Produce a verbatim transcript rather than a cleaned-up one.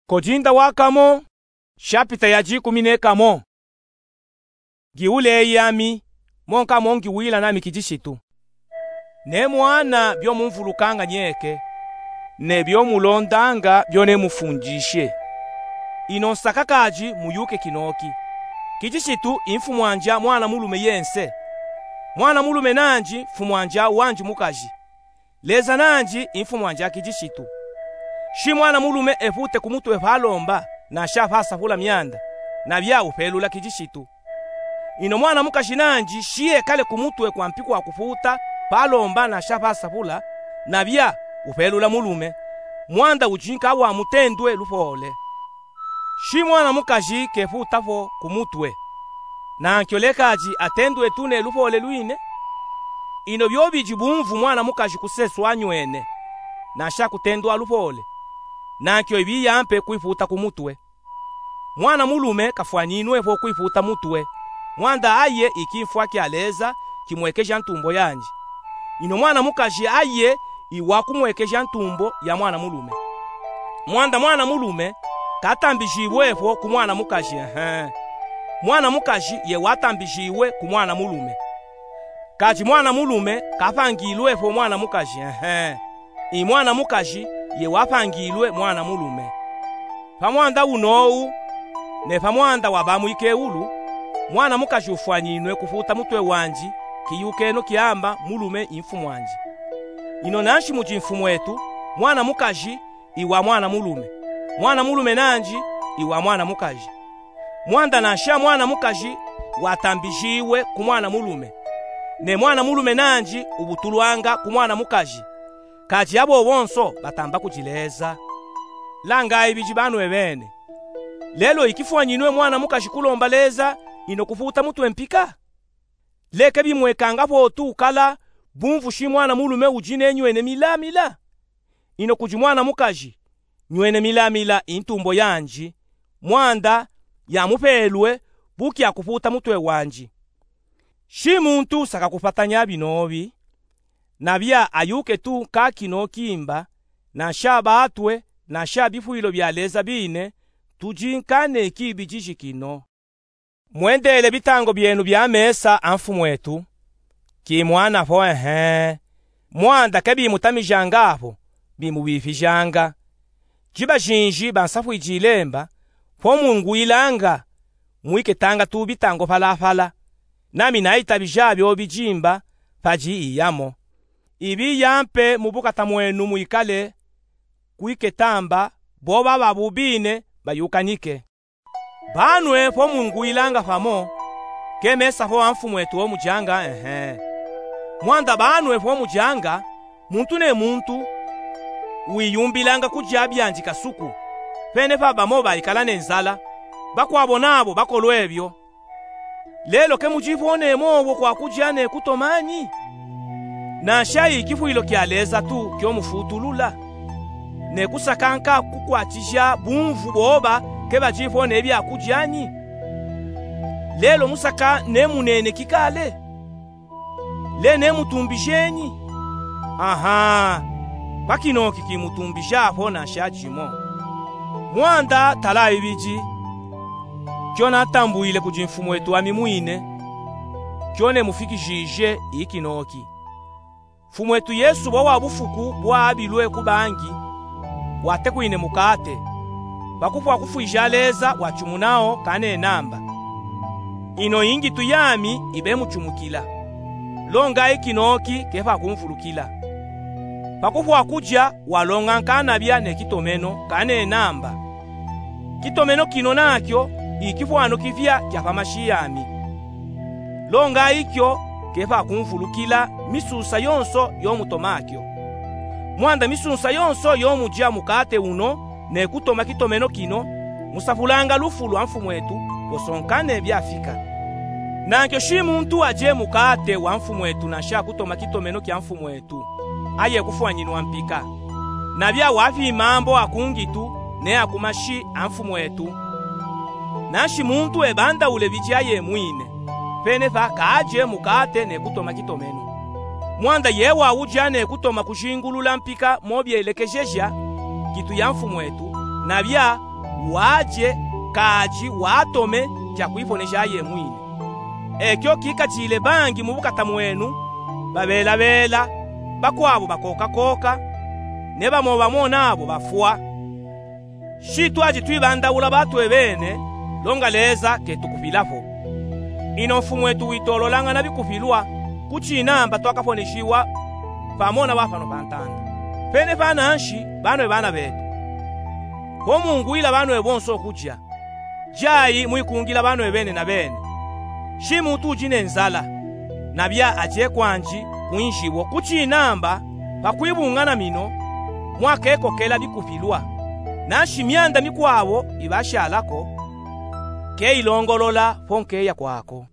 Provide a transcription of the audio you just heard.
Kodinda wa kamo, shapita ya dikumi ne kamo. Ngiwuleyi ami, mo nka mo ngiwila nami Kidishitu. Nemwana byo mumvulukanga nyeke, ne byo mulondanga byo nemufundishe. Ino nsaka kadi muyuke kinoki. Kidishitu i mfumwandi a mwana mulume yense. Mwana mulume nandi mfumwandi a wandi mukaji. Leza nandi i mfumwandi a Kidishitu. Shi mwana mulume efute ku mutwe pa lomba, nansha pa safula myanda, nabya upelula Kidishitu. Ino mwana mukaji nandi shi ekale ku mutwe kwa mpi kwa kufuta pa lomba nansha pa safula, nabya upelula mulume, mwanda udi nka wa mutendwe lupole. Shi mwana mukaji kefuta po ku mutwe, nankyo lekadi atendwe tu ne lupole lwine. Ino byo bidi bumvu mwana mukaji kuseswa nywene, nansha kutendwa lupole, nankyo ibiya mpe kwifuta ku mutwe. Mwana mulume kafwaninwe po kwifuta mutwe, mwanda aye i kimfwa kya Leza kimwekeja ntumbo yandi. Ino mwana mukaji aye i wa kumwekeja ntumbo ya mwana mulume. Mwanda mwana mulume katambijibwe po ku mwana mukaji, ehe. Mwana mukaji ye watambijibwe ku mwana mulume. Kadi mwana mulume kapangilwe po mwana mukaji, ehe. I mwana mukaji ye wapangilwe mwana mulume. Pa mwanda uno u, ne pa mwanda wa ba mwikeulu, mwana mukaji ufwaninwe kufuta mutwe wandi, kiyukeno kyamba mulume i mfumwandi. Ino nanshi mudi mfumwetu, mwana mukaji i wa mwana mulume, mwana mulume nandi i wa mwana mukaji. Mwanda nansha mwana mukaji watambijibwe ku mwana mulume, ne mwana mulume nandi ubutulwanga ku mwana mukaji, kadi abo bonso batamba kudi Leza. Langayi bidi banwe bene. Lelo i kifwaninwe mwana mukaji kulomba Leza, ino kufuta mutwe mpika? Leke bimwekanga po tu kala bumvu shi mwana mulume udi ne nywene milamila. Ino kudi mwana mukaji, nywene milamila i ntumbo yandi, mwanda yamupelwe bu kya kufuta mutwe wandi. Shi muntu saka kupatanya binobi, nabya ayuke tu nka kino kimba, nansha batwe, nansha bifwilo bya Leza bine, tudi nka ne kibidiji kino. Mwendele bitango byenu bya mesa a mfumwetu, ki mwana po, ehe. Mwanda ke bimutamijanga apo, bimubifijanga. Jiba jinji bansafwiji ilemba, po mungwilanga, mwiketanga tu bitango palapala. Nami nayitabija byo bijimba, padi iyamo. Ibiya mpe mu bukata mwenu mwikale kwiketamba, bo baba bubine bayukanike. Banwe po mungwilanga pamo, ke mesa po a mfumwetu o mujanga, ehe. Mwanda banwe po mujanga, muntu ne muntu wiyumbilanga kudya byandi kasuku, pene pa bamo baikala ne nzala, bakwabo nabo bakolwe byo. Lelo ke mudi po ne mobwo kwa kudya ne kutoma nyi? Nansha i kifwilo kya Leza tu kyo mufutulula, ne kusaka nka kukwatija bumvu boba ke badi po ne bya kudya nyi? Lelo musaka ne muneneki kale? Le ne mutumbije nyi? Aha, pa kinoki ki mutumbija po nansha jimo. Mwanda tala ibidi, kyo natambwile kudi mfumwetu ami mwine, kyo ne mufikijije i kinoki. Mfumwetu Yesu bo wa bufuku bwa abilwe ku bangi, watekwine mukate, pa kufwa kufwija Leza wacumunawo kane namba. Ino i ngitu yami ibe mucumukila. Longa i kinoki ke pa kumvulukila. Pa kufwa kudya walonga nkanabya ne kitomeno kane namba. Kitomeno kino nakyo i kifwano kifya kya pa mashi yami. Longa ikyo ke pa kumvulukila misusa yonso yo mutoma kyo. Mwanda misusa yonso yo mudya mukate uno ne kutoma kitomeno kino, musafulanga lufu lwa mfumwetu, posonkane byafika. Nankyo shi muntu adye mukate wa mfumwetu nansha kutoma kitomeno kya mfumwetu, aye kufwanyinwa mpika. Nabya wafyi mambo a ku ngitu ne a ku mashi a mfumwetu. Nanshi muntu ebandaule bidya ye mwine, pene pa kaadye mukate ne kutoma kitomeno. Mwanda ye wawudya ne kutoma kujingulula mpika mo byelekejeja ngitu ya mfumwetu, nabya waje, kaaji watome ja kwiponesha yemwine. Ekyo kikatile bangi mu bukata mwenu babelabela, bakwabo bakokakoka, ne bamo bamo nabo bafwa. Shi twaji twibandaula batwebene, longa Leza ketukupilapo. Ino mfumwetu witololangana bikupilwa, kuchinamba twakaponeshiwa pamo na bapano pantanda. Pene pananshi, banwe bana betu, pomungwila banwe bonso kuja, jayi mwikungila banwe bene na bene. Shi mutu uji ne nzala, nabya aje kwanji kwinshi wo, kuchinamba pakwibungana mino mwakekokela bikupilwa. Nanshi myanda mikwabo ibashalako, keyilongolola ponkeya kwako.